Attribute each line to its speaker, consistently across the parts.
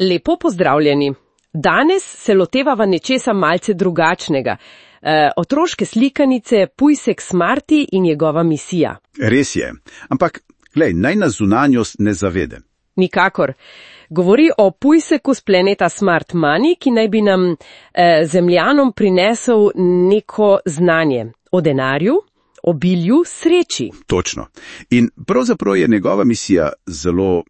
Speaker 1: Lepo pozdravljeni. Danes se lotevava nečesa malce drugačnega. Otroške slikanice, Pujsek Smarty in njegova misija.
Speaker 2: Res je, ampak, glej, naj nas zunanjost ne zavede.
Speaker 1: Nikakor. Govori o Pujseku z planeta Smart Money, ki naj bi nam zemljanom prinesel neko znanje o denarju, obilju, sreči.
Speaker 2: Točno. In pravzaprav je njegova misija zelo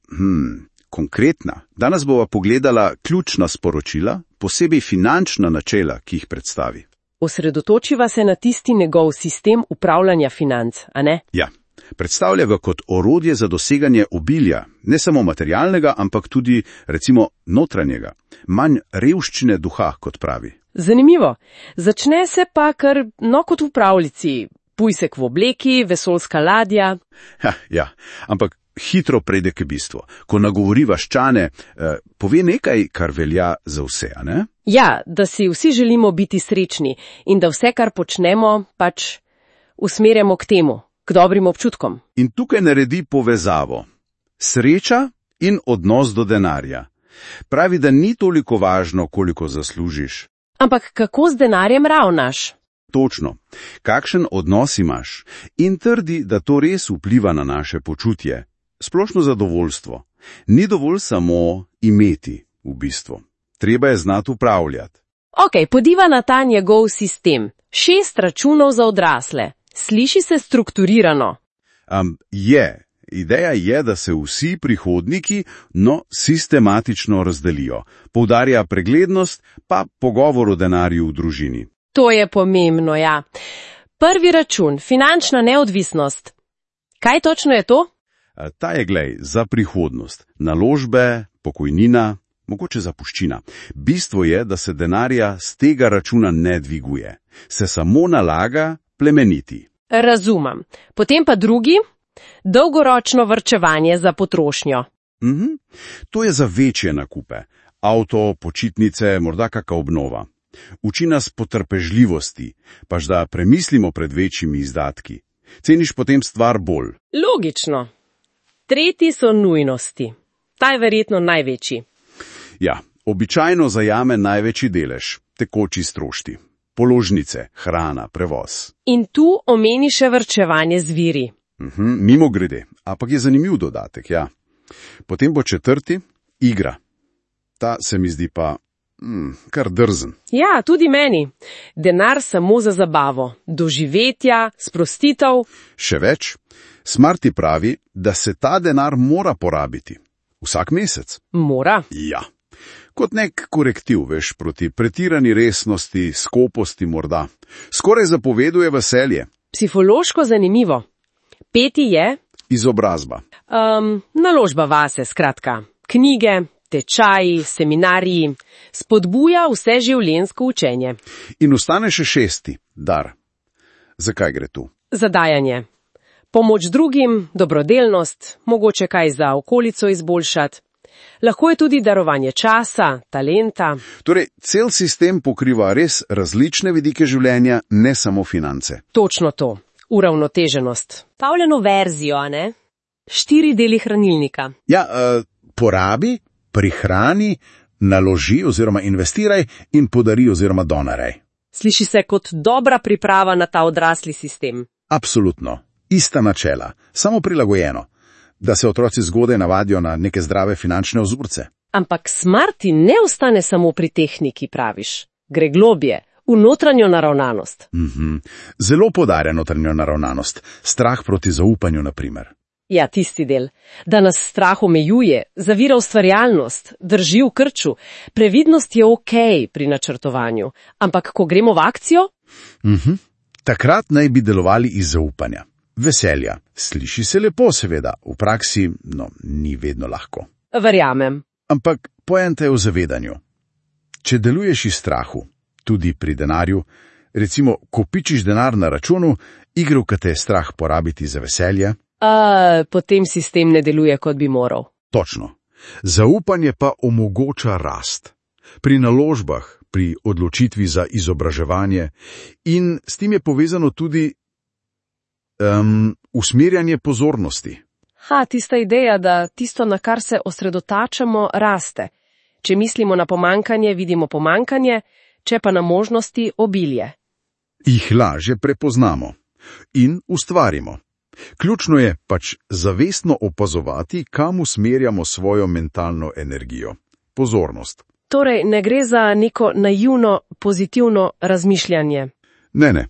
Speaker 2: konkretna. Danes bova pogledala ključna sporočila, posebej finančna načela, ki jih predstavi.
Speaker 1: Osredotočiva se na tisti njegov sistem upravljanja financ, a ne?
Speaker 2: Ja. Predstavlja ga kot orodje za doseganje obilja, ne samo materialnega, ampak tudi, recimo, notranjega, manj revščine duha, kot pravi.
Speaker 1: Zanimivo. Začne se pa kar kot v pravljici. Pujsek v obleki, vesoljska ladja.
Speaker 2: Ja, ampak hitro prejde k bistvu. Ko nagovori vaščane, pove nekaj, kar velja za vse, a ne?
Speaker 1: Ja, da si vsi želimo biti srečni in da vse, kar počnemo, pač usmerjamo k temu. K dobrim občutkom.
Speaker 2: In tukaj naredi povezavo. Sreča in odnos do denarja. Pravi, da ni toliko važno, koliko zaslužiš.
Speaker 1: Ampak kako z denarjem ravnaš?
Speaker 2: Točno. Kakšen odnos imaš? In trdi, da to res vpliva na naše počutje. Splošno zadovoljstvo. Ni dovolj samo imeti, v bistvu. Treba je znati upravljati.
Speaker 1: Ok, podiva na ta njegov sistem. 6 računov za odrasle. Sliši se strukturirano.
Speaker 2: Ideja je, da se vsi prihodniki, sistematično razdelijo. Poudarja preglednost, pa pogovor o denarju v družini.
Speaker 1: To je pomembno, ja. Prvi račun, finančna neodvisnost. Kaj točno je to?
Speaker 2: Ta je, glej, za prihodnost. Naložbe, pokojnina, mogoče zapuščina. Bistvo je, da se denarja z tega računa ne dviguje. Se samo nalaga plemeniti.
Speaker 1: Razumem. Potem pa drugi, dolgoročno varčevanje za potrošnjo.
Speaker 2: To je za večje nakupe. Avto, počitnice, morda kakšna obnova. Uči nas potrpežljivosti, pač da premislimo pred večjimi izdatki. Ceniš potem stvar bolj.
Speaker 1: Logično. Tretji so nujnosti. Ta je verjetno največji.
Speaker 2: Ja, običajno zajame največji delež, tekoči stroški. Položnice, hrana, prevoz.
Speaker 1: In tu omeni še varčevanje z viri.
Speaker 2: Mimogrede, ampak je zanimiv dodatek, ja. Potem bo četrti, igra. Ta se mi zdi pa kar drzen.
Speaker 1: Ja, tudi meni. Denar samo za zabavo, doživetja, sprostitev.
Speaker 2: Še več, Smarty pravi, da se ta denar mora porabiti. Vsak mesec.
Speaker 1: Mora?
Speaker 2: Ja. Kot nek korektiv, veš, proti pretirani resnosti, skoposti morda. Skoraj zapoveduje veselje.
Speaker 1: Psihološko zanimivo. Peti je?
Speaker 2: Izobrazba.
Speaker 1: Naložba vase, skratka. Knjige, tečaji, seminariji. Spodbuja vse življenjsko učenje.
Speaker 2: In ostane še 6. dar. Zakaj gre tu?
Speaker 1: Za dajanje. Pomoč drugim, dobrodelnost, mogoče kaj za okolico izboljšati. Lahko je tudi darovanje časa, talenta.
Speaker 2: Torej, cel sistem pokriva res različne vidike življenja, ne samo finance.
Speaker 1: Točno to. Uravnoteženost. Pavljeno verzijo, a ne? 4 deli hranilnika.
Speaker 2: Ja, porabi, prihrani, naloži oziroma investiraj in podari oziroma donaraj.
Speaker 1: Sliši se kot dobra priprava na ta odrasli sistem.
Speaker 2: Absolutno. Ista načela, samo prilagojeno. Da se otroci zgodaj navadijo na neke zdrave finančne vzorce.
Speaker 1: Ampak Smarty ne ostane samo pri tehniki, praviš. Gre globje, v notranjo naravnanost.
Speaker 2: Zelo poudarja notranjo naravnanost. Strah proti zaupanju, na primer.
Speaker 1: Ja, tisti del. Da nas strah omejuje, zavira ustvarjalnost, drži v krču. Previdnost je okej pri načrtovanju. Ampak ko gremo v akcijo?
Speaker 2: Takrat naj bi delovali iz zaupanja. Veselja. Sliši se lepo, seveda, v praksi, ni vedno lahko.
Speaker 1: Verjamem.
Speaker 2: Ampak poenta je v zavedanju. Če deluješ iz strahu, tudi pri denarju, recimo, ko pičiš denar na računu, igro, ki te je strah porabiti za veselje.
Speaker 1: Potem sistem ne deluje, kot bi moral.
Speaker 2: Točno. Zaupanje pa omogoča rast. Pri naložbah, pri odločitvi za izobraževanje in s tem je povezano tudi usmerjanje pozornosti.
Speaker 1: Tista ideja, da tisto, na kar se osredotačamo, raste. Če mislimo na pomankanje, vidimo pomankanje, če pa na možnosti obilje.
Speaker 2: Jih lažje prepoznamo in ustvarimo. Ključno je pač zavestno opazovati, kam usmerjamo svojo mentalno energijo. Pozornost.
Speaker 1: Torej, ne gre za neko naivno, pozitivno razmišljanje.
Speaker 2: Ne.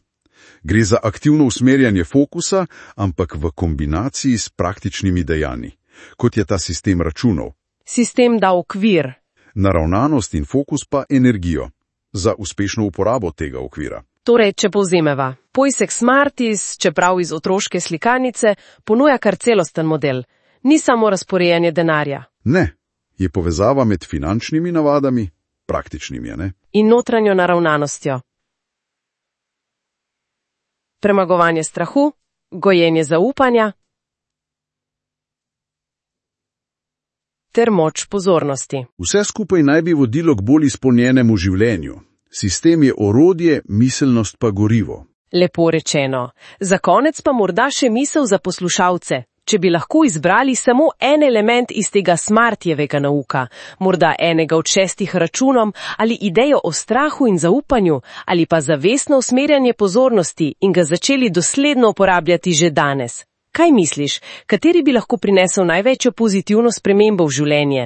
Speaker 2: Gre za aktivno usmerjanje fokusa, ampak v kombinaciji s praktičnimi dejanji, kot je ta sistem računov.
Speaker 1: Sistem da okvir.
Speaker 2: Naravnanost in fokus pa energijo za uspešno uporabo tega okvira.
Speaker 1: Torej, če povzemeva, Pojsek Smartis, čeprav iz otroške slikanice, ponuja kar celosten model. Ni samo razporejanje denarja.
Speaker 2: Ne, je povezava med finančnimi navadami, praktičnimi, ne?
Speaker 1: In notranjo naravnanostjo. Premagovanje strahu, gojenje zaupanja ter moč pozornosti.
Speaker 2: Vse skupaj naj bi vodilo k bolj izpolnjenemu življenju. Sistem je orodje, miselnost pa gorivo.
Speaker 1: Lepo rečeno. Za konec pa morda še misel za poslušalce. Če bi lahko izbrali samo en element iz tega Smartjevega nauka, morda enega od 6 računom, ali idejo o strahu in zaupanju, ali pa zavestno usmerjanje pozornosti in ga začeli dosledno uporabljati že danes. Kaj misliš, kateri bi lahko prinesel največjo pozitivno spremembo v življenje?